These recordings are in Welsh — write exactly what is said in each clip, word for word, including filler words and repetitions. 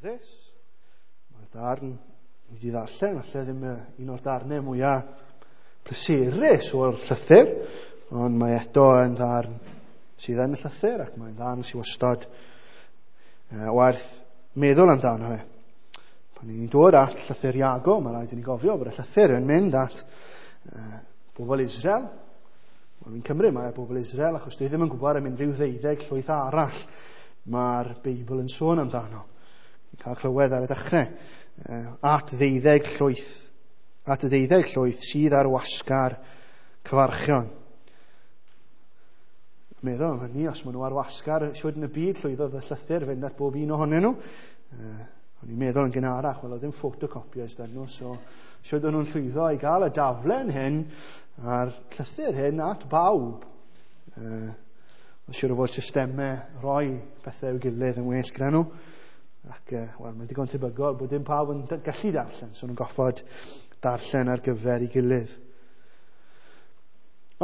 Cyfforddus. Mae'r darn ni wedi ddarllen, falle ddim un o'r darnau mwyaf pleserus o'r llythyr, ond mae eto yn ddarn sydd yn y llythyr ac mae'n ddarn sydd wastad uh, werth meddwl amdano fe. Pan ni'n dod at llythyr Iago, mae rhaid i ni gofio bod y llythyr yn mynd at uh, bobl Israel. Wel, fi'n cymryd mae bobl Israel, achos dwi ddim yn gwybod am unrhyw ddeuddeg llwyth arall mae'r Beibl yn sôn amdano. Ni'n cael clywed ar y dechrau. Uh, at ddeuddeg llwyth, at y ddeuddeg llwyth sydd ar wasgar cyfarchion. Meddwl am hynny, os maen nhw ar wasgar, siwr yn y byd llwyddodd y llythyr fynd at bob un ohonyn nhw. Uh, o'n i'n meddwl yn gynharach, wel, oedd ddim photocopiers dyn nhw, so siwr o'n nhw'n llwyddo i gael y daflen hyn a'r llythyr hyn at bawb. Uh, Siwr o fod systemau rhoi pethau i'w gilydd yn well gyda nhw. Ac, uh, wel, mae'n digon tebygol bod dim pawb yn gallu darllen, so nhw'n goffod darllen ar gyfer ei gilydd.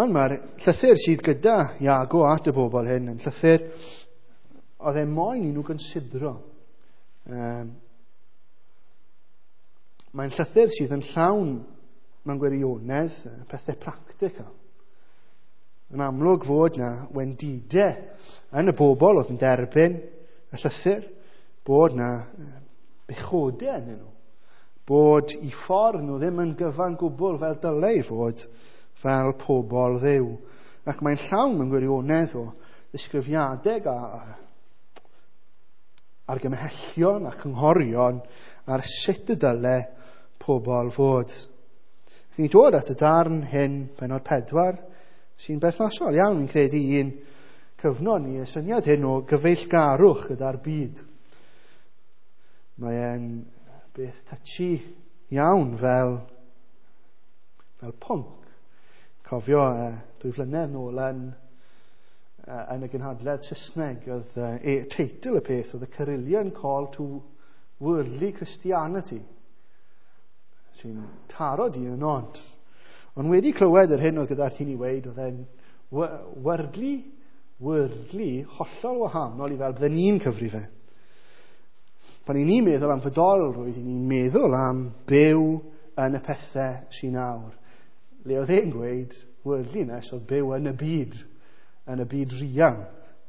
Ond mae'r llythyr sydd gyda Iago at y bobl hyn yn llythyr oedd e moyn i nhw gynsidro. Um, mae'n llythyr sydd yn llawn mewn gwirionedd pethau practical. Yn amlwg fod na wendidau yn y bobl oedd yn derbyn y llythyr, bod na bechodau yn nhw, bod i ffordd nhw ddim yn gyfan gwbl fel dylai fod, fel pobl Dduw. Ac mae'n llawn mewn gwirionedd o ddisgrifiadau a argymhellion a cynghorion ar sut y dyle pobl fod. Ni'n dod at y darn hyn, pennod pedwar, sy'n berthnasol iawn, ni'n credu, un cyfnod ni, y syniad hyn o gyfeillgarwch gyda'r byd. Mae e'n beth touchy iawn fel, fel pwnc. Cofio uh, dwy flynedd nôl yn, uh, yn y gynhadledd Saesneg, oedd uh, e, teitl y peth oedd y Carillion Call to Worldly Christianity, sy'n taro di yn od. Ond wedi clywed yr hyn oedd gyda'r tîn i weid, oedd e'n worldly, worldly, hollol wahanol i fel bydden ni'n cyfri fe. Pan i ni'n meddwl am fydolrwydd, i ni'n meddwl am byw yn y pethau sy'n awr. Le oedd e'n gweud, worldliness oedd byw yn y byd, yn y byd rian,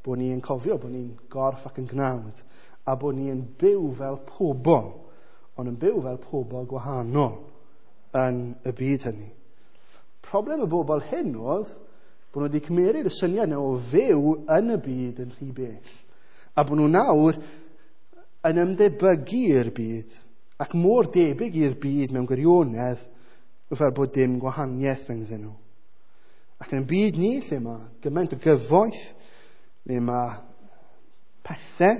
bod ni'n cofio bod ni'n gorff ac yn gnawd, a bod ni'n byw fel pobl, ond yn byw fel pobl gwahanol yn y byd hynny. Problem y bobl hyn oedd bod nhw wedi cymeryd y syniad yna o fyw yn y byd yn rhy bell, a bod nhw nawr yn ymdebygu i'r byd, ac mor debyg i'r byd mewn gwirionedd, fel bod dim gwahaniaeth rhyngddyn nhw. Ac yn y byd ni, lle mae gymaint o gyfoeth, lle mae pethau,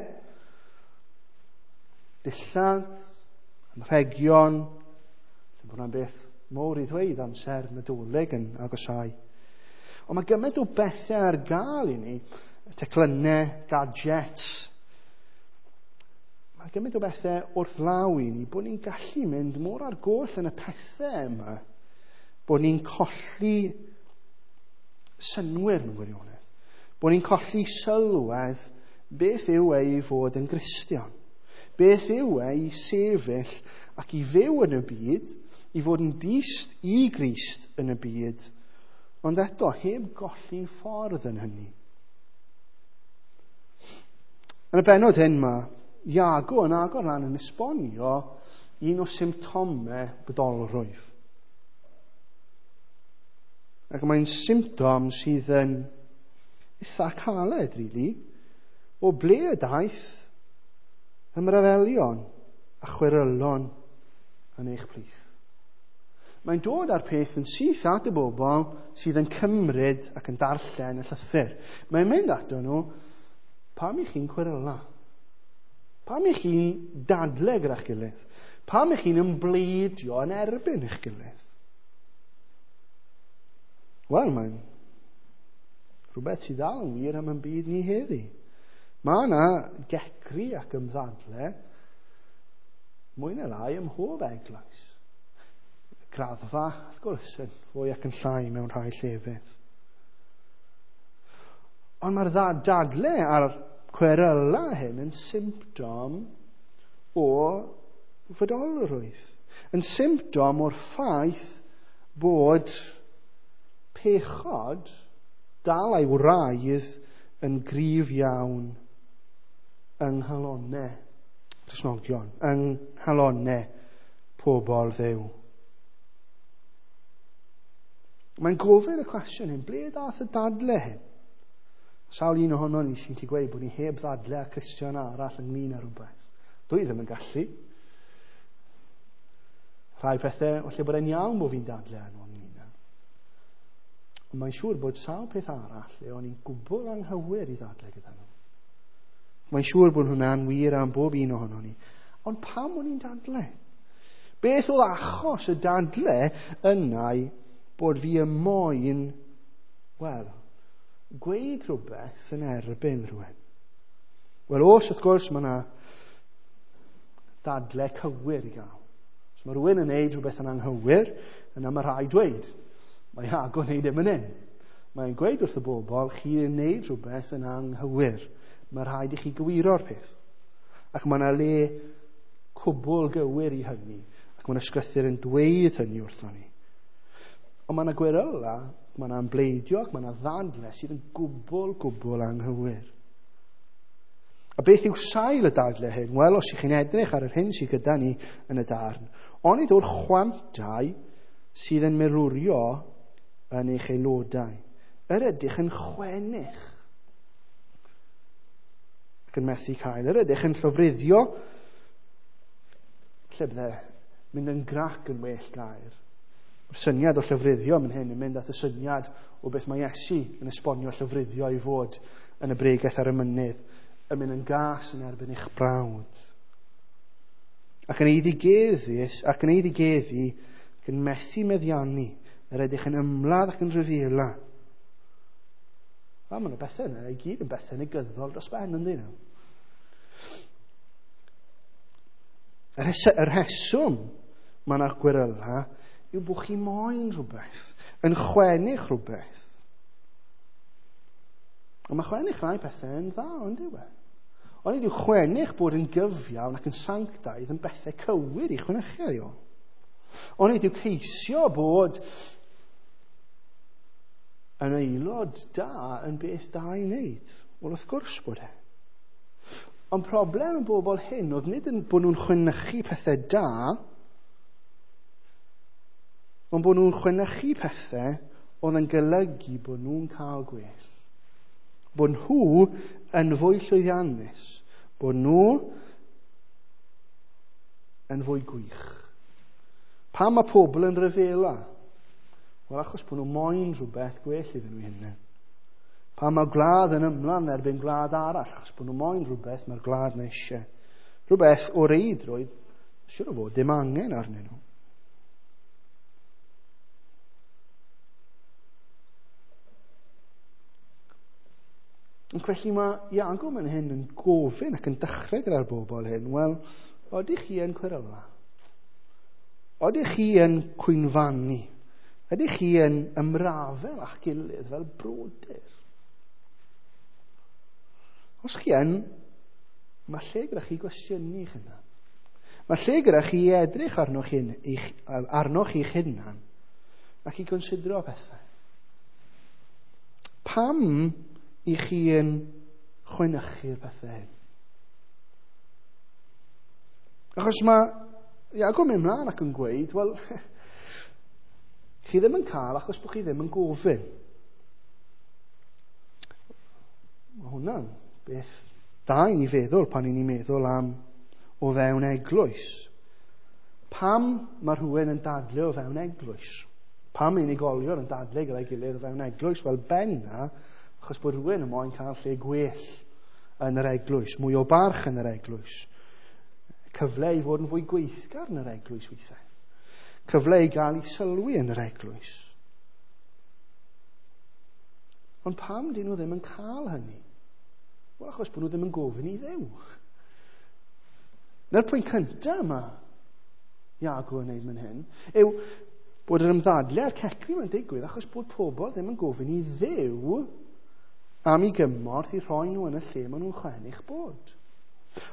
dillad, anrhegion, lle bod hwnna'n beth mawr i ddweud amser Nadolig yn agosau. Ond mae gymaint o bethau ar gael i ni, teclynnau, gadgets. Mae gymaint o bethau wrth law i ni, bod ni'n gallu mynd mor ar goll yn y pethau yma, bod ni'n colli synnwyr mewn gwirionedd. Bod ni'n colli sylwedd beth yw e i fod yn Gristion. Beth yw e i sefyll ac i fyw yn y byd, i fod yn dyst i Grist yn y byd, ond eto heb golli ffordd yn hynny. Yn y bennod hyn mae Iago yn agor lan yn esbonio un o symptomau bydolrwydd. Ac mae'n symptom sydd yn eitha caled, really, o ble y daeth ymrafelion a chwerylon yn eich plith. Mae'n dod â'r peth yn syth at y bobl sydd yn cymryd ac yn darllen y llythyr. Mae'n mynd ato nhw, pam i chi'n cweryla? Pam i chi'n dadle gyda'ch gilydd? Pam i chi'n ymbleidio yn erbyn eich gilydd? Wel, mae'n rhywbeth sydd dal yn wir am yn byd ni heddi. Mae yna gecri ac ymddadle mwy neu lai ym mhob eglwys. Graddfa, wrth gwrs, yn fwy ac yn llai mewn rhai llefydd. Ond mae'r dadle a'r cweryla hyn yn symptom o fodolrwydd. Yn symptom o'r ffaith bod pechod dal a'i wraidd yn gryf iawn yng nghalonnau Cristnogion, yng nghalonnau pobl Dduw. Mae'n gofyn y cwestiwn hyn, ble dath y dadle hyn? Sawl un ohono ni sy'n gallu gweud bod ni heb ddadle â Cristion arall ynglyn â rhywbeth. Dwi ddim yn gallu. Rhai pethau, falle bod e'n iawn bod fi'n dadle â nhw ynglyn â. Ond mae'n siŵr bod sawl peth arall le o'n i'n gwbl anghywir i ddadle gyda nhw. Mae'n siŵr bod hwnna'n wir am bob un ohono ni. Ond pam o'n i'n dadle? Beth oedd achos y dadle yna bod fi y moyn, wel, gweud rhywbeth yn erbyn rhywun? Wel, os wrth gwrs mae yna dadle cywir i gael. Os mae rhywun yn neud rhywbeth yn anghywir, yna mae rhaid dweud. Mae Iago yn neud e fan hyn. Mae'n gweud wrth y bobl, chi yn neud rhywbeth yn anghywir. Mae rhaid i chi gywiro'r peth. Ac mae yna le cwbl gywir i hynny. Ac mae yna ysgrythur yn dweud hynny wrthon ni. Ond mae yna gweryla, mae yna ymmbleidio ac mae yna ddadle sydd yn gwbl, gwbl anghywir. A beth yw sail y dadle hyn? Wel, os ych chi'n edrych ar yr hyn sydd gyda ni yn y darn, onid o'r chwantau sydd yn merwrio yn eich aelodau. Yr ydych yn chwennych ac yn methu cael. Yr ydych yn llofruddio, lle bydde mynd yn grac yn well gair. Mae'r syniad o llofruddio mynd hyn yn mynd at y syniad o beth mae Iesu yn esbonio llofruddio i fod yn y bregaeth ar y mynydd, yn mynd yn gas yn erbyn eich brawd. Ac yn eiddigeddus, ac yn eiddigeddu, ac yn methu meddiannu, yr ydych yn ymladd ac yn rhyfela. Wel, mae yna bethau yna, i gyd yn bethau negyddol dros ben, yndyn nhw. Yr rheswm mae yna gweryla yw bod chi moyn rhywbeth, yn chwennych rhywbeth. Ond mae chwennych rhai pethau yn dda, ond yw e? Ond nid yw chwennych bod yn gyfiawn ac yn sanctaidd yn bethau cywir i chwenychu ar ôl. Ond nid yw ceisio bod yn aelod da yn beth da i wneud. Wel, wrth gwrs bod e. Ond problem y bobl hyn oedd nid yn bod nhw'n chwenychu pethau da, ond bod nhw'n chwenychu pethau oedd yn golygu bod nhw'n cael gwell. Bod nhw yn fwy llwyddiannus. Bod nhw yn fwy gwych. Pam mae pobl yn rhyfela? Wel, achos bod nhw moyn rhywbeth gwell iddyn nhw hynny. Pam mae gwlad yn ymlaen erbyn gwlad arall? Achos bod nhw moyn rhywbeth mae'r gwlad na eisiau. Rhywbeth o reidrwydd, siŵr o fod, dim angen arnyn nhw. Ac felly mae Iago yn hyn yn gofyn ac yn dechrau gyda'r bobl hyn, wel, oedych chi yn cweryla? Oedych chi yn cwynfannu? Ydych chi yn ymrafel â'ch gilydd fel brodyr? Os chi yn, mae lle gyda chi gwestiynu eich hunan. Mae lle gyda chi edrych arnoch chi, arnoch chi'ch hunan ac i gonsidro pethau. Pam i chi yn chwenychu'r pethau hyn? Achos mae Iago mynd mlaen ac yn gweud, wel, chi ddim yn cael achos bod chi ddim yn gofyn. Mae hwnna'n beth da i ni feddwl pan i ni'n meddwl am o fewn eglwys. Pam mae rhywun yn dadle o fewn eglwys? Pam unigolion yn dadle gyda'i gilydd o fewn eglwys? Wel, benna, achos bod rhywun yn moyn cael lle gwell yn yr eglwys, mwy o barch yn yr eglwys. Cyfle i fod yn fwy gweithgar yn yr eglwys weithiau. Cyfle i gael ei sylwi yn yr eglwys. Ond pam dyn nhw ddim yn cael hynny? Wel, achos bod nhw ddim yn gofyn i Dduw. Na'r pwynt cyntaf yma Iago yn neud fan hyn yw bod yr ymddadle a'r cecru mae'n digwydd achos bod pobl ddim yn gofyn i Dduw am ei gymorth i rhoi nhw yn y lle maen nhw'n chwennych bod.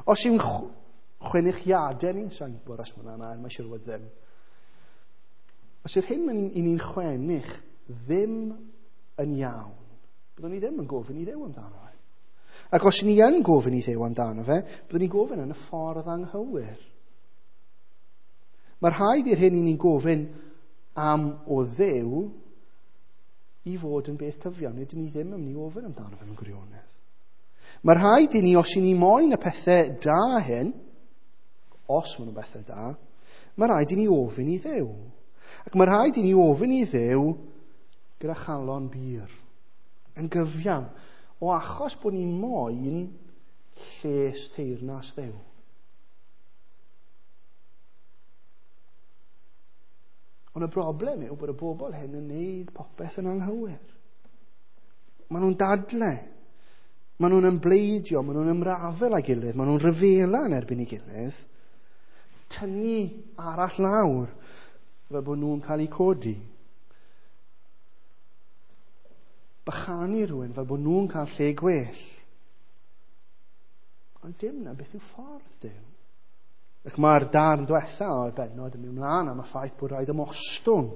Os yw'n Chwenychiadau ni, sa'n gwybod os mae hwnna'n air, mae siŵr fod ddim. Os yw'r hyn i ni'n chwenych ddim yn iawn, byddwn ni ddim yn gofyn i Dduw amdano fe. Ac os ni yn gofyn i Dduw amdano fe, byddwn ni'n gofyn yn y ffordd anghywir. Mae rhaid i'r hyn i ni'n gofyn am o Dduw i fod yn beth cyfiawn. Nid ni ddim yn mynd i ofyn amdano fe mewn gwirionedd. Mae rhaid i ni, os i ni moyn y pethau da hyn, os maen nhw'n bethau da, mae rhaid i ni ofyn i Dduw. Ac mae rhaid i ni ofyn i Dduw gyda chalon bur, yn gyfiawn, o achos bod ni moyn lles teyrnas Dduw. Ond y broblem yw bod y bobl hyn yn neud popeth yn anghywir. Maen nhw'n dadle, maen nhw'n ymbleidio, maen nhw'n ymrafel â'i gilydd, maen nhw'n rhyfela yn erbyn ei gilydd, tynnu arall lawr fel bod nhw'n cael eu codi. Bychanu rhywun fel bod nhw'n cael lle gwell. Ond dim na beth yw ffordd Duw. Ac mae'r darn diwetha o'r bennod yn mynd mlaen am y ffaith bod rhaid ymostwng.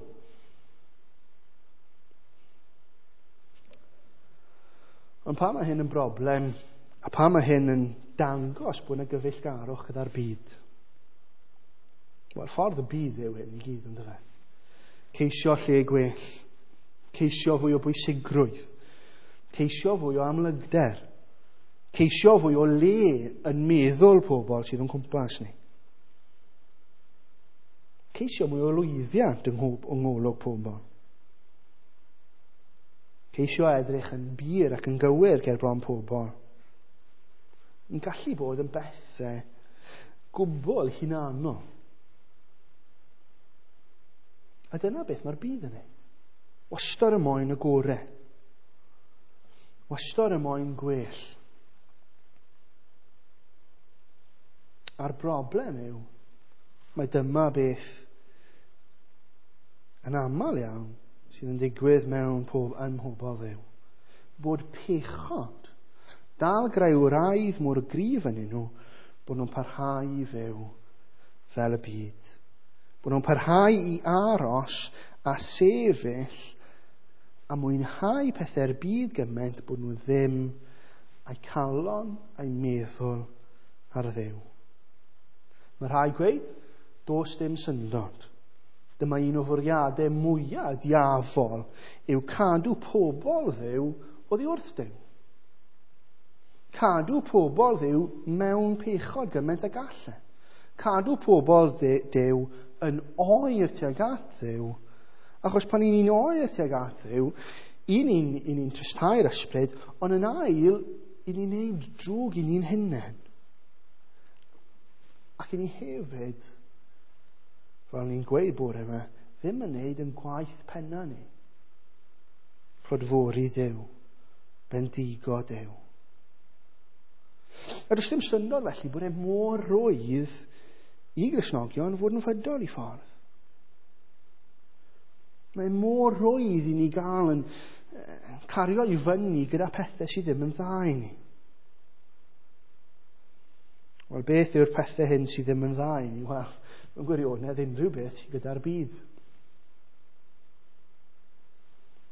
Ond pa mae hyn yn broblem, a pa mae hyn yn dangos bod yna gyfeillgarwch gyda'r byd? Wel, ffordd y byd yw hyn i gyd, yndyfe? Ceisio lle gwell, ceisio fwy o bwysigrwydd, ceisio fwy o amlygder, ceisio fwy o le yn meddwl pobl sydd yn cwmpas ni. Ceisio mwy o lwyddiant yng ngolwg pobl. Ceisio edrych yn bur ac yn gywir ger bron pobl. Yn gallu bod yn bethau gwbl hunanol. A dyna beth mae'r byd yn neud. Wastad y moyn y gore. Wastad y moyn gwell. A'r broblem yw, mae dyma beth yn aml iawn sydd yn digwydd mewn pob, yn mhobl Dduw. Bod pechod dal greu wraidd mor gryf yn nhw, bod nhw'n parhau i fyw fel y byd. Bod nhw'n parhau i aros a sefyll a mwynhau pethau'r byd gymaint bod nhw ddim a'u calon a'u meddwl ar Dduw. Mae rhai gweud, does dim syndod. Dyma un o fwriadau mwyaf diafol yw cadw pobl Dduw oddi wrth Duw. Cadw pobl Dduw mewn pechod gymaint ag allan. Cadw pobl Duw yn oer tuag at Dduw. Achos pan ni'n oer tuag at Dduw, un ni'n ni'n tristau'r ysbryd, ond yn ail, i ni'n neud drwg i ni'n hunain. Ac i ni hefyd, fel ni'n gweud bore yma, ddim yn neud yn gwaith penna ni. Clodfori Duw, bendigo Duw. A does dim syndod felly bod e mor rwydd i Gristnogion fod yn fydol i ffordd. Mae mor rwydd i ni gael yn cario i fyny gyda pethau sydd ddim yn dda i ni. Wel, beth yw'r pethau hyn sydd ddim yn dda i ni? Wel, mewn gwirionedd, unrhyw beth sydd gyda'r byd.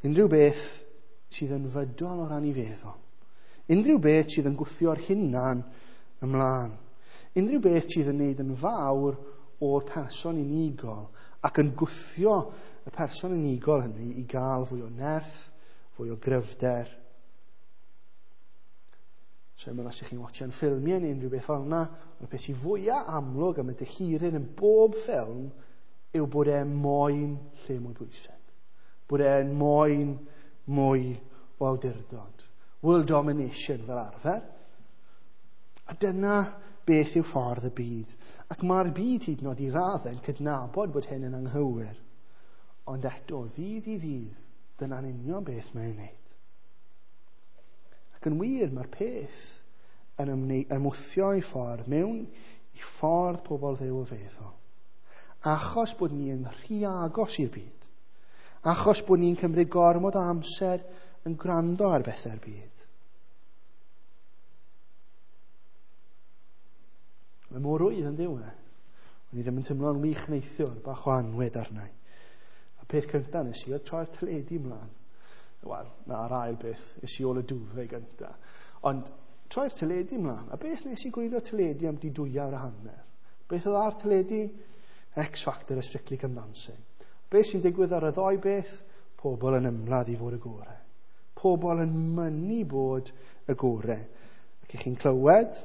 Unrhyw beth sydd yn fydol o ran i feddwl. Unrhyw beth sydd yn gwthio'r hunan ymlaen. Unrhyw beth sydd yn neud yn fawr o'r person unigol ac yn gwthio y person unigol hynny i gael fwy o nerth, fwy o gryfder. So, os ydych chi'n watchan ffilmiau neu unrhyw beth fel yna, ond y peth sydd fwyaf amlwg am y dehiryn yn bob ffilm yw bod e'n moyn lle mwy bwysig. Bod e'n moyn mwy o awdurdod. World domination fel arfer. A dyna beth yw ffordd y byd. Ac mae'r byd hyd yn oed i raddau yn cydnabod bod hyn yn anghywir. Ond eto, ddydd i ddydd, dyna'n union beth mae'n wneud. Ac yn wir, mae'r peth yn ymwthio i ffordd mewn i ffordd pobl Dduw o feddwl. Achos bod ni yn rhy agos i'r byd. Achos bod ni'n cymryd gormod o amser yn gwrando ar bethau'r byd. Mae mor rwydd yn diw e. O'n i ddim yn teimlo'n wych neithiwr, bach o anwyd arna i. A peth cyntaf nes i oedd troi'r teledu ymlaen. Wel, na'r ail beth, es i ôl y duvet gyntaf. Ond troi'r teledu ymlaen. A beth nes i gwylio teledu am di dwy awr a hanner? Beth oedd ar teledu? X Factor a Strictly Come Dancing. Beth sy'n digwydd ar y ddoi beth? Pobl yn ymladd i fod y gorau. Pobl yn mynnu bod y gorau. Ac i chi'n clywed,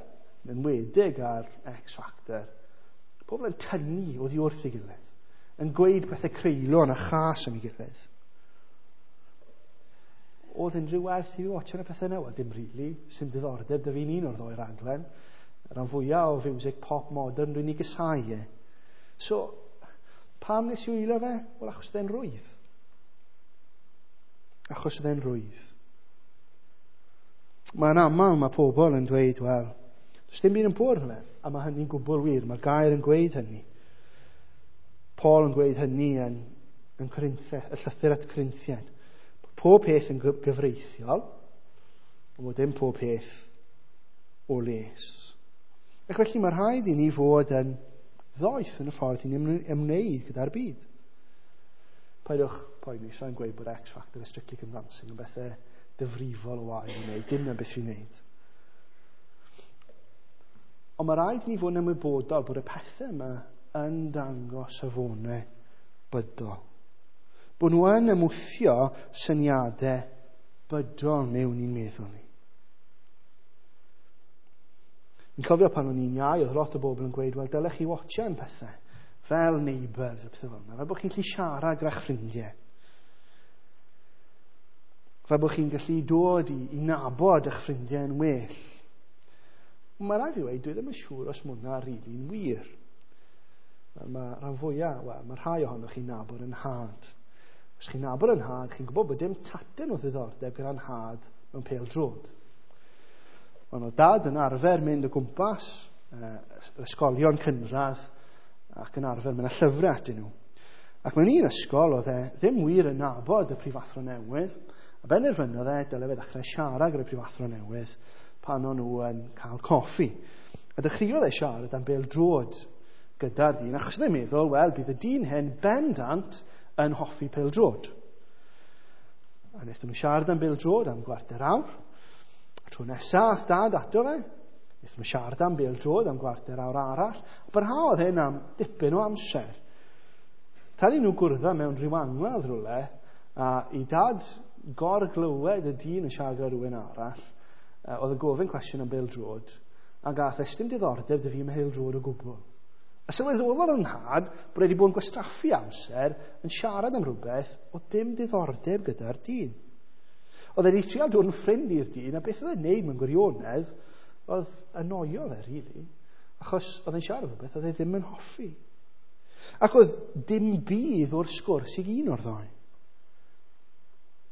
yn enwedig ar X Factor, pobl yn tynnu oddi wrth ei gilydd, yn gweud pethau creulon a chas am ei gilydd. Oedd unrhyw werth i fi watchan y pethau yna? Wel, dim really. Sim diddordeb 'da fi'n un o'r ddoi raglen. Y rhan fwyaf o fiwsig pop modern dwi'n ei gysau e. So, pam nes i wylio fe? Wel, achos oedd e'n rwydd. Achos oedd e'n rwydd. Mae'n aml mae pobl yn dweud, wel, does dim byd yn pur fe. A mae hynny'n gwbl wir. Mae'r gair yn gweud hynny. Paul yn gweud hynny yn, yn Corinthiaid, y llythyr at y Corinthiaid. Pob peth yn gyfreithiol, ond bod dim pob peth o les. Ac felly mae rhaid i ni fod yn ddoeth yn y ffordd i ni'n ymwneud gyda'r byd. Paidwch poeni, sa'n gweud bod X Factor a Strictly Come Dancing yn bethau difrifol o wael i wneud, dim na beth fi'n wneud. Ond mae rhaid i ni fod yn ymwybodol bod y pethau yma yn dangos safonau bydol. Bod nhw yn ymwthio syniadau bydol mewn i'n meddwl ni. Fi'n cofio pan o'n i'n iau, oedd lot o bobl yn gweud, wel, dylech chi watchan pethau, fel Neighbours a pethau fel yna, fel bod chi'n gallu siarad gyda'ch ffrindiau. Fel bod chi'n gallu dod i, i nabod eich ffrindiau yn well. Mae rhaid fi weud, dwi ddim yn siŵr os mae hwnna rili'n wir. Wel, mae rhan fwyaf, wel, mae rhai ohonoch chi'n nabod yn nhad. Os chi'n nabod yn nhad, chi'n gwybod bod dim tatyn o ddiddordeb gyda'n nhad mewn pêl-droed. Ond oedd dad yn arfer mynd o gwmpas eh, ysgolion cynradd ac yn arfer mynd â llyfrau atyn nhw. Ac mewn un ysgol oedd e ddim wir yn nabod y prifathro newydd, a benderfynodd e dyle fe ddechrau siarad gyda'r prifathro newydd pan o'n nhw yn cael coffi. A dechreuodd e siarad am bêl-droed gyda'r dyn, achos oedd e'n meddwl, wel, bydd y dyn hyn bendant yn hoffi pêl-droed. A wnaethon nhw siarad am bêl-droed am gwarter awr. A tro nesaf, dad ato fe, wnaethon nhw siarad am bêl-droed am gwarter awr arall. A barhaodd hyn am dipyn o amser. Tan i nhw gwrdd mewn rhyw angladd rhywle, a i dad gorglywed y dyn yn siarad gyda rhywun arall, oedd yn gofyn cwestiwn am bêl-droed, a gath e dim diddordeb 'da fi ym mhêl-droed o gwbl. A sylweddolodd yn nhad bod wedi bod yn gwastraffu amser yn siarad am rhywbeth o dim diddordeb gyda'r dyn. Oedd e wedi trial dod yn ffrind i'r dyn, a beth oedd e'n neud mewn gwirionedd oedd annoio fe, really, achos oedd e'n siarad am rhywbeth oedd e ddim yn hoffi. Ac oedd dim budd o'r sgwrs i un o'r ddau.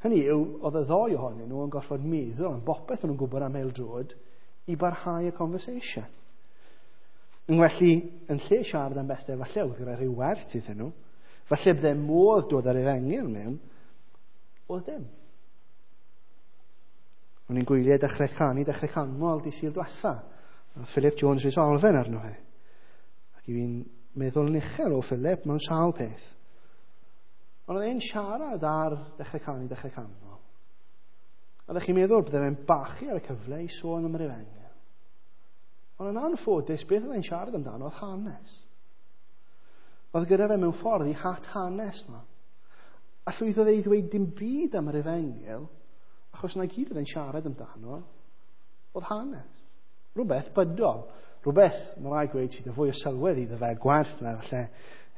Hynny yw, oedd y ddau ohonyn nhw yn gorfod meddwl am bopeth o'n nhw'n gwybod am pêl-droed i barhau y conversation. Yn felly, yn lle siarad am bethau, falle oedd gyda rhyw werth iddyn nhw, falle bydde modd dod ar efengyl mewn, oedd dim. O'n i'n gwylio Dechrau Canu, Dechrau Canmol di Sul diwetha. Oedd Philip Jones Rhys Olfen arno fe. Ac i fi'n meddwl yn uchel o Philip mewn sawl peth. Ond oedd e'n siarad ar Dechrau Canu, Dechrau Canmol. A ddech chi'n meddwl bydde fe'n bachu ar y cyfle i sôn am yr efengyl. Ond yn anffodus, beth oedd e'n siarad amdano oedd hanes. Oedd gyda fe mewn ffordd i hat hanes yma. A llwyddodd e i ddweud dim byd am yr efengyl, achos na gyd oedd e'n siarad amdano, oedd hanes. Rhywbeth bydol. Rhywbeth, mae rhaid gweud, sydd â fwy o sylwedd iddo fe, gwerth na falle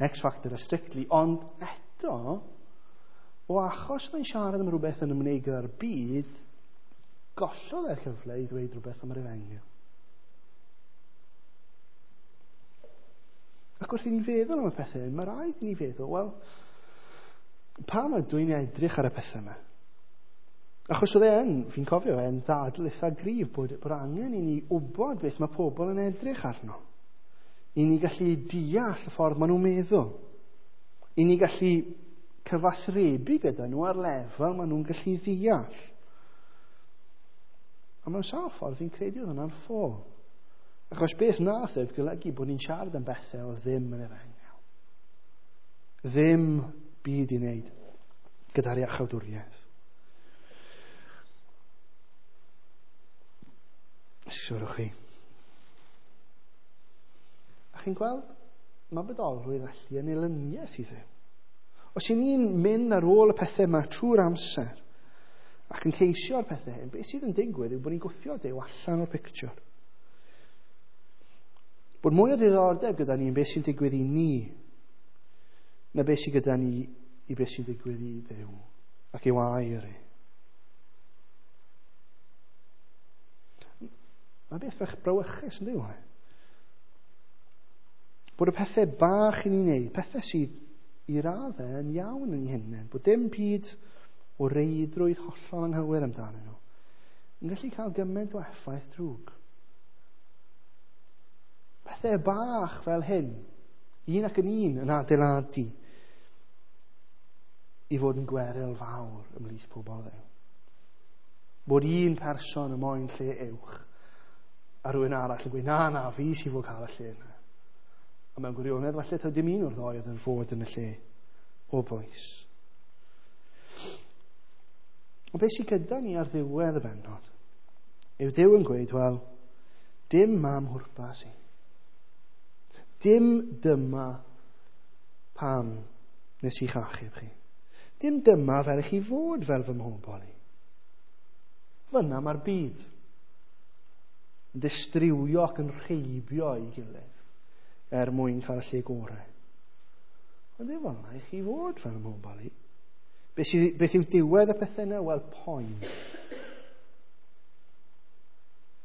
X Factor a Strictly, ond eto, o achos oedd e'n siarad am rhywbeth yn ymwneud gyda'r byd, gollodd e'r cyfle i ddweud rhywbeth am yr efengyl. Ac wrth i ni feddwl am y pethau hyn, mae rhaid i ni feddwl, wel, pam ydw i'n edrych ar y pethau yma? Achos oedd e yn, fi'n cofio e'n ddadl eitha gryf bod, bod angen i ni wybod beth mae pobl yn edrych arno. I ni gallu deall y ffordd maen nhw'n meddwl. I ni gallu cyfathrebu gyda nhw ar lefel maen nhw'n gallu ddeall. A mewn sawl ffordd fi'n credu oedd hwnna'n ffôl. Achos beth nath oedd golygu bod ni'n siarad am bethau oedd ddim yn efengyl. Ddim byd i wneud gyda'r iachawdwriaeth. Siwrwch chi. A chi'n gweld, mae bodolrwydd felly yn elyniaeth i Dduw. Os y'n ni'n mynd ar ôl y pethau yma trwy'r amser ac yn ceisio'r pethau hyn, beth sydd yn digwydd yw bod ni'n gwthio Duw allan o'r pictiwr. Bod mwy o ddiddordeb gyda ni yn beth sy'n digwydd i ni na beth sydd gyda ni i beth sy'n digwydd i Dduw ac i'w air e. Mae beth bach brawychus yn dyw e. Bod y pethau bach i ni'n neud, pethau sydd i raddau yn iawn yn eu hunain, bod dim byd o reidrwydd hollol anghywir amdanyn nhw, yn gallu cael gymaint o effaith drwg. Pethau bach fel hyn, un ac yn un yn adeiladu i fod yn gweryl fawr ymhlith pobl Dduw. Bod un person yn moyn lle uwch a rhywun arall yn gweud, na, na, fi sydd fod cael y lle yna. A mewn gwirionedd, falle taw dim un o'r ddoi oedd yn fod yn y lle o bwys. Ond beth sydd gyda ni ar ddiwedd y bennod yw Duw yn gweud, wel, dim am hwrpas i. Dim dyma pam nes i'ch achub chi. Dim dyma fel i chi fod fel fy mhobol i. Fyna mae'r byd yn distriwio ac yn rheibio ei gilydd er mwyn cael y lle gorau. Ond ddim fel yna i chi fod fel mhobol i. Beth, sydd, beth yw diwedd y pethau yna? Wel, poen.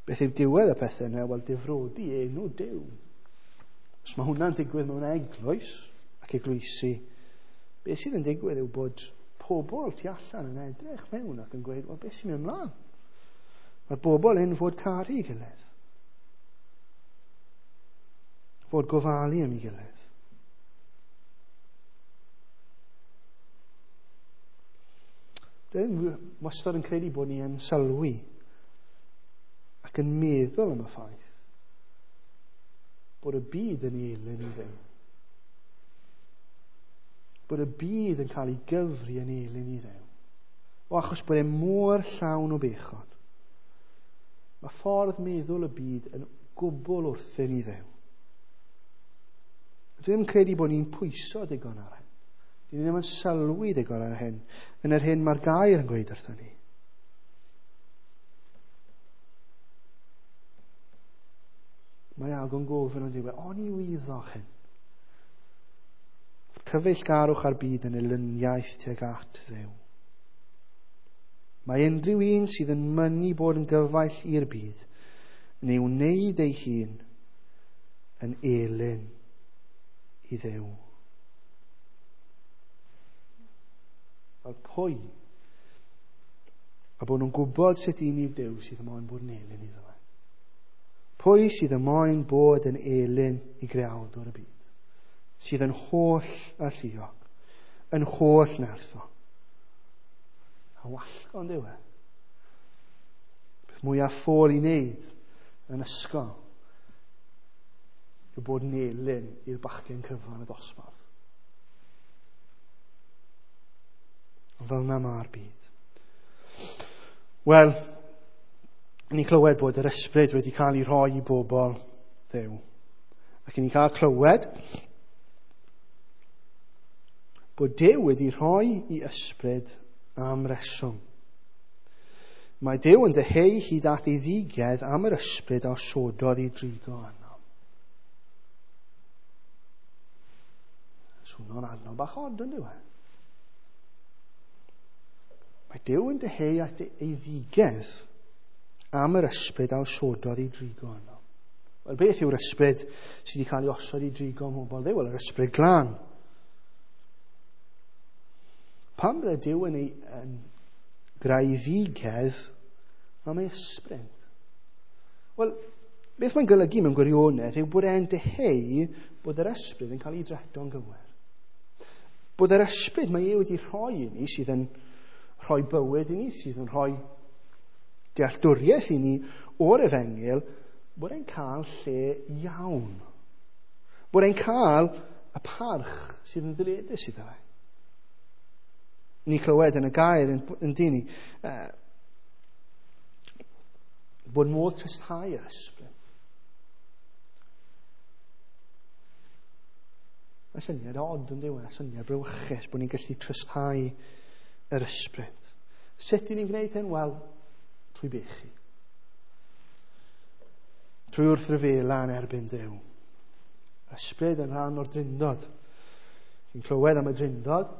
Beth yw diwedd y pethau yna? Wel, difrodi enw Duw. Os mae hwnna'n digwydd mewn eglwys ac eglwysi, beth sydd yn digwydd yw bod pobl tu allan yn edrych mewn ac yn gweud, wel, beth sy'n mynd ymlaen? Mae'r bobl hyn fod caru ei gilydd. Fod gofalu am ei gilydd. Dwi'n wastad yn credu bod ni yn sylwi ac yn meddwl am y ffaith bod y byd yn elyn i Dduw. Bod y byd yn cael ei gyfri yn elyn i Dduw. O achos bod e mor llawn o bechod. Mae ffordd meddwl y byd yn gwbl wrthyn i Dduw. Dwi ddim yn credu bod ni'n pwyso digon ar hyn. Dwi ddim yn sylwi digon ar hyn. Yn yr hyn mae'r gair yn gweud wrthyn ni. Mae Iago'n gofyn o'n diwedd, oni wyddoch hyn? Cyfeillgarwch ar byd yn elyniaeth tuag at Dduw. Mae unrhyw un sydd yn mynnu bod yn gyfaill i'r byd yn ei wneud ei hun yn elyn i Dduw. Fel pwy? A bod nhw'n gwybod sut un yw Duw sydd yn moyn bod yn elyn iddo fe. Pwy sydd yn moyn bod yn elyn i greawdwr y byd? Sydd yn holl alluog, yn holl nerthol. A wallgo yn dyw e. Peth mwyaf ffôl i wneud yn ysgol yw bod yn elyn i'r bachgen cryfa yn y dosbarth. Ond fel yna mae'r byd. Wel, ni'n clywed bod yr ysbryd wedi cael ei rhoi i bobl Dduw. Ac ni'n cael clywed bod Duw wedi rhoi i ysbryd am reswm. Mae Duw yn dyheu hyd at ei ddigedd am yr ysbryd a osododd i drigo arno. Swno'n adnodd bach od yn dyw e? Mae Duw yn dyheu at ei ddigedd am yr ysbryd a osododd i drigo arno. Wel, beth yw'r ysbryd sydd wedi cael ei osod i drigo ym mhobl Dduw? Wel, yr ysbryd glân. Pam bydde Duw yn ei yn greu ddigedd am ei ysbryd? Wel, beth mae'n golygu mewn gwirionedd yw bod e'n dyheu bod yr ysbryd yn cael ei dreto'n gywir. Bod yr ysbryd mae e wedi rhoi i ni, sydd yn rhoi bywyd i ni, sydd yn rhoi dealltwriaeth i ni o'r efengyl, bod e'n cael lle iawn. Bod e'n cael y parch sydd yn ddyledus iddo fe. Ni clywed yn y gair yn, yn dyn ni, uh, bod modd tristhau yr ysbryd. Mae syniad od yn diwedd, syniad brawychus bod ni'n gallu tristhau yr ysbryd. Sut y'n ni'n gwneud hyn? Wel, trwy bechu. Trwy wrthryfela yn erbyn Duw. Ysbryd yn rhan o'r drindod. Chi'n clywed am y drindod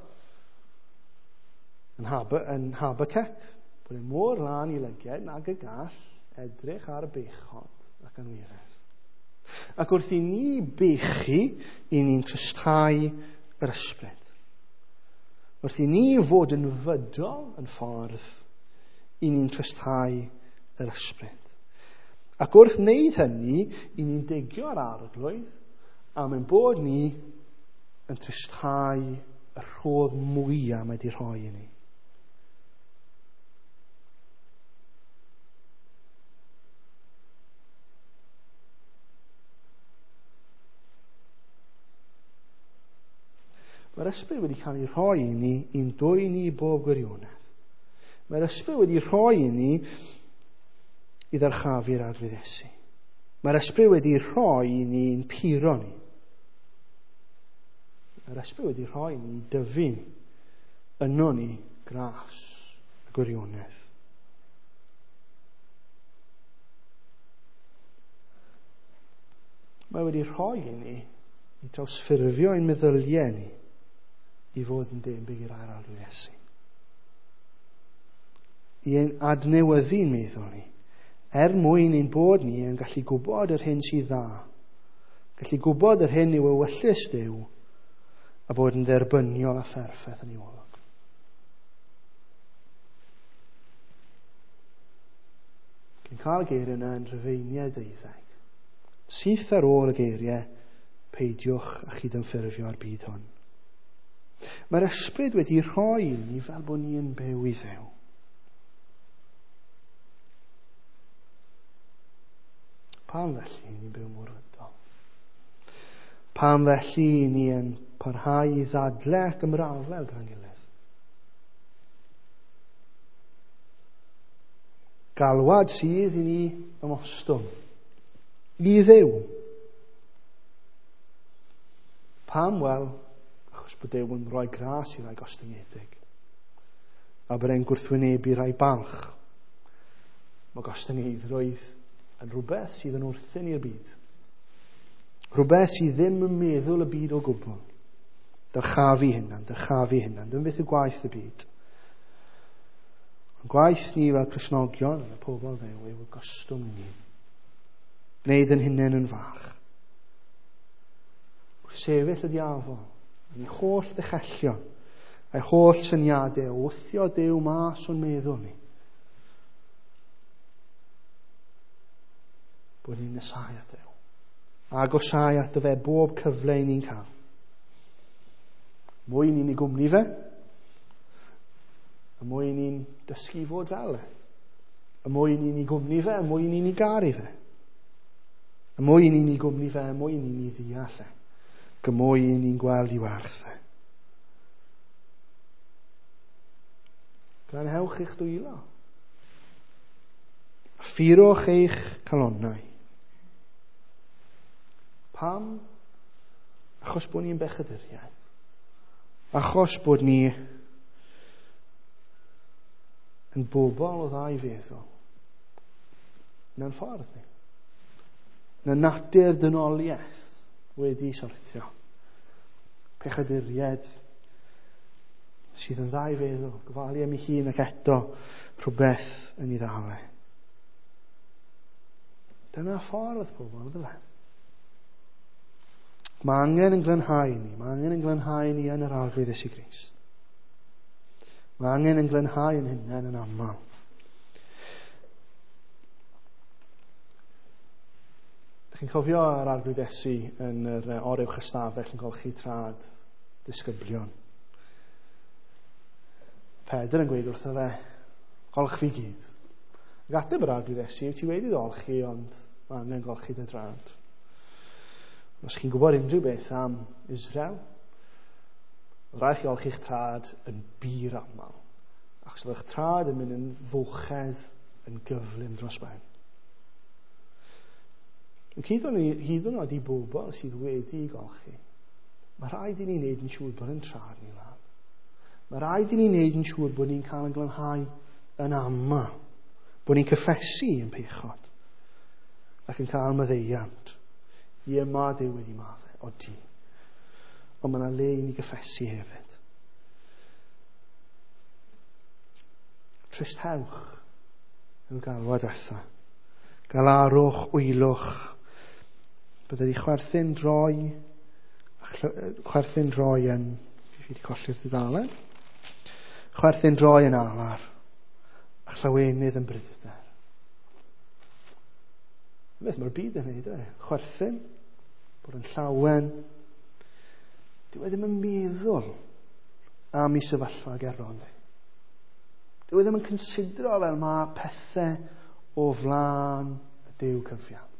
yn, Hab- yn Habacuc, bod e'n mor lân i lygaid nag y gall edrych ar y bechod ac anwiredd. Ac wrth i ni bechu, i ni'n trysthau yr ysbryd. Wrth i ni fod yn fydol yn ffordd, i ni'n trysthau yr ysbryd. Ac wrth wneud hynny, i ni'n digio'r arglwydd, am ein bod ni yn trysthau y rhodd mwyaf mae wedi rhoi i ni. Mae'r ysbryd wedi cael ei rhoi i ni i'n dwyn ni bob gwirionedd. Mae'r ysbryd wedi rhoi i ni i ddyrchafu'r Arglwydd Iesu. Mae'r ysbryd wedi rhoi i ni i'n puro ni. Mae'r ysbryd wedi rhoi i ni i dyfu ni, yno ni gras y gwirionedd. Mae wedi rhoi i ni i drawsffurfio ein meddyliau ni i fod yn debyg i'r air Arglwydd Iesu. I ein adnewyddu'n meddwl ni, er mwyn ein bod ni yn gallu gwybod yr hyn sydd dda, gallu gwybod yr hyn yw ewyllys Duw, a bod yn dderbyniol a pherffaith yn ei olwg. Cyn cael y geiriau yna yn Rhufeiniau deuddeg. Syth ar ôl y geiriau, peidiwch a chydymffurfio â'r byd hwn. Mae'r ysbryd wedi rhoi i ni fel bod ni yn byw i Dduw. Pam felly ni'n byw mor fydol? Pam felly ni yn parhau i ddadle ac ymrafel gyda'n gilydd? Galwad sydd i ni ymostwng i Dduw. Pam? Wel, achos bod Duw yn rhoi gras i rai gostyngedig, a bod e'n gwrthwynebu rai balch. Mae gostyngeiddrwydd yn rhywbeth sydd yn wrthyn i'r byd. Rhywbeth sydd ddim yn meddwl y byd o gwbl. Dyrchafu hunan, dyrchafu hunan. Dyma beth yw gwaith y byd. Ond gwaith ni fel Cristnogion, fel pobl Dduw, yw gostwng yn hun. Gwneud yn hunain yn fach. Wrth sefyll y diafol, yn ei holl ddechellion, a'i holl syniadau, o wthio Duw mas o'n meddwl ni. Bod ni'n nesáu at Dduw. Agosáu ato fe bob cyfle i ni'n cael. Mwy ni'n ei gwmni fe, y mwy ni'n dysgu fod fel e. Y mwy ni'n ei gwmni fe, y mwy ni'n ei garu fe. Y mwy ni'n ei gwmni fe, y mwy ni'n ei ddeall e. Y mwy ni'n gweld i werth e. Glanhewch eich dwylo. Ffurwch eich calonnau. Pam? Achos bod ni'n bechaduriaid. Achos bod ni yn bobl o ddau feddwl. Na'n ffordd ni. Na natur dynoliaeth wedi syrthio. Pechaduriaid sydd yn ddau feddwl, gofalu am ei hun ac eto rhywbeth yn ei ddal e. Dyna ffordd pobl, ydw fe. Mae angen yn glanhau ni, mae angen yn glanhau ni yn yr Arglwydd Iesu Grist. Mae angen yn glanhau yn hunain yn aml. Chi'n cofio yr Arglwydd Iesu yn yr oruwch ystafell yn golchi trad disgyblion. Pedr yn gweud wrtho fe, golch fi gyd. Ac ateb yr Arglwydd Iesu, ti wedi dolchi, ond Mae angen golchi dy drad. Os chi'n gwybod unrhyw beth am Israel, oedd rhaid chi olchi'ch trad yn bur aml. Achos oedd eich trad yn mynd yn fwchedd yn gyflym dros ben. Ac hyd yn oed i bobl sydd wedi golchi, mae rhaid i ni wneud yn siŵr bod yn trad ni lan. Mae rhaid i ni wneud yn siŵr bod ni'n cael yn glanhau yn aml. Bod ni'n cyffesu yn pechod ac yn cael maddeuant. Ie, mae Duw wedi maddau, odi. Ond mae yna le i ni gyffesu hefyd. Tristewch yw'r galwad diwetha. Galarwch, wylwch. Bydde di chwerthin droi, chwerthin droi yn, fi wedi colli'r dudalen. Chwerthin droi yn alar, a llawenydd yn bryder. Beth mae'r byd yn neud, e? Chwerthin, bod yn llawen. Dyw e ddim yn meddwl am ei sefyllfa gerbron. Dyw e ddim yn considro fel mae pethau o flaen y Duw cyfiawn.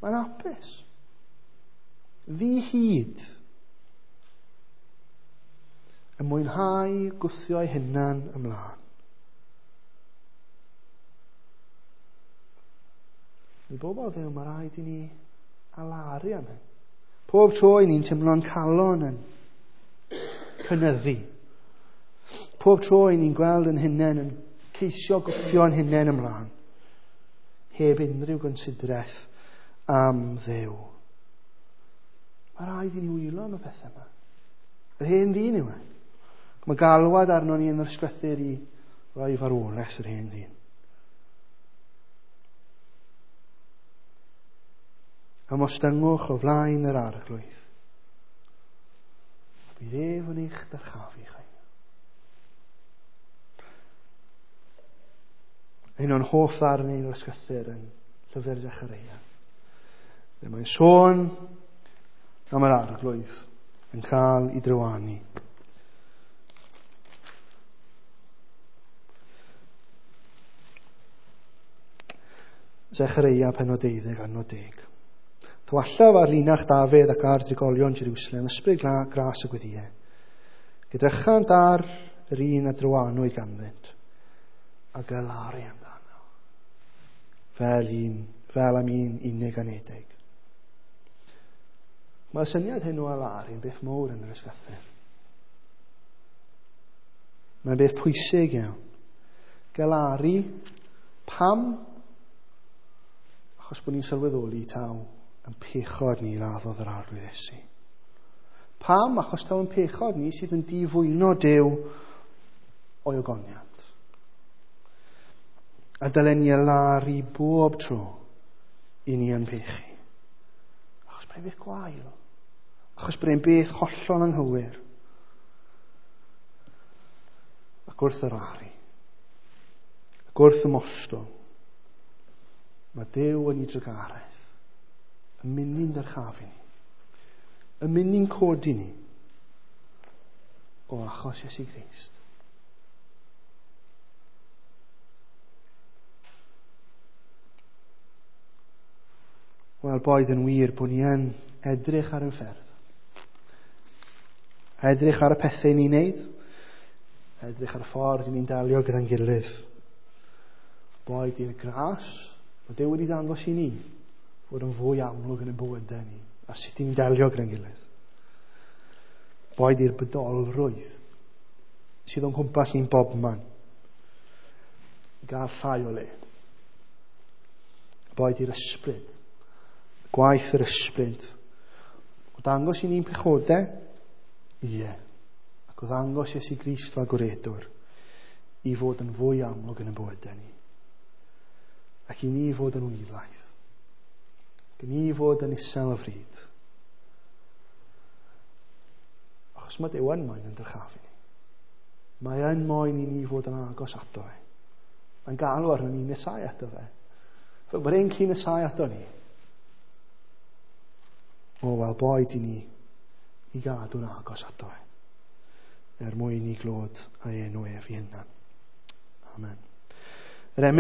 Mae'n hapus. Ddi-hid. Yn mwynhau gwthio'i hunan ymlaen. I bobl Dduw, mae rhaid i ni alaru am hyn. Pob tro i ni'n teimlo'n calon yn cynyddu. Pob tro i ni'n gweld yn hunain yn ceisio gwthio'n hunain ymlaen. Heb unrhyw gonsidraeth am Dduw. Mae rhaid i ni wylo am y pethau yma. Yr hen ddyn yw e. Mae galwad arno ni yn yr ysgrythur i roi farwolaeth yr hen ddyn. Ymostyngwch o flaen yr Arglwydd. A bydd ef yn eich dyrchafu chi. Un o'n hoff ddarnau o'r ysgrythur yn llyfr Zechareia. Lle mae'n sôn am yr Arglwydd yn cael ei drywanu. Zechareia pennod deuddeg adnod deg. Thywallaf ar linach Dafydd ac ar drigolion Jerusalem, ysbryd gras y gweddiau. Gydrychant ar yr un a drywanwyd ganddynt, a galaru amdano, fel un, fel am un unig anedig. Mae'r syniad hyn o alaru yn beth mawr yn yr ysgrythur. Mae'n beth pwysig iawn. Galaru, pam? Achos bod ni'n sylweddoli taw yn pechod ni laddodd yr Arglwydd Iesu. Pam? Achos taw yn pechod ni sydd yn difwyno Duw o'i ogoniant. A dylen ni alaru bob tro i ni yn pechu. Achos bod e'n beth gwael. Achos bod e'n beth hollol anghywir. Ac wrth yr aru, ac wrth ymostwng, mae Duw yn ei drugaredd, yn mynd i'n dyrchafu ni, yn mynd i'n codi ni, o achos Iesu Grist. Wel, boed yn wir bod ni yn edrych ar ein ffyrdd. Edrych ar y pethau ni'n neud. Edrych ar y ffordd ni'n delio gyda'n gilydd. Boed i'r gras, mae Duw wedi dangos i ni fod yn fwy amlwg yn ein bywydau ni, a sut ni'n delio gyda'n gilydd. Boed i'r bydolrwydd sydd o'n cwmpas ni'n bobman gael llai o le. Boed i'r ysbryd, gwaith yr ysbryd, o dangos i ni'n pechodau, ie, ac o ddangos Iesu Grist fel gwaredwr i fod yn fwy amlwg yn y bywydau ni. Ac i ni fod yn wylaidd. Ac i ni fod yn isel o fryd. Achos mae Duw yn moyn yn dyrchafu ni. Mae yn moyn i ni fod yn agos ato fe. Mae'n galw arno ni nesau ato fe. Fel bod e'n clu nesau ato ni. O, wel, boed i ni i gadw'n agos ato fe. Er mwyn i glod a'i enw ef i hunan. Amen. Yr emyn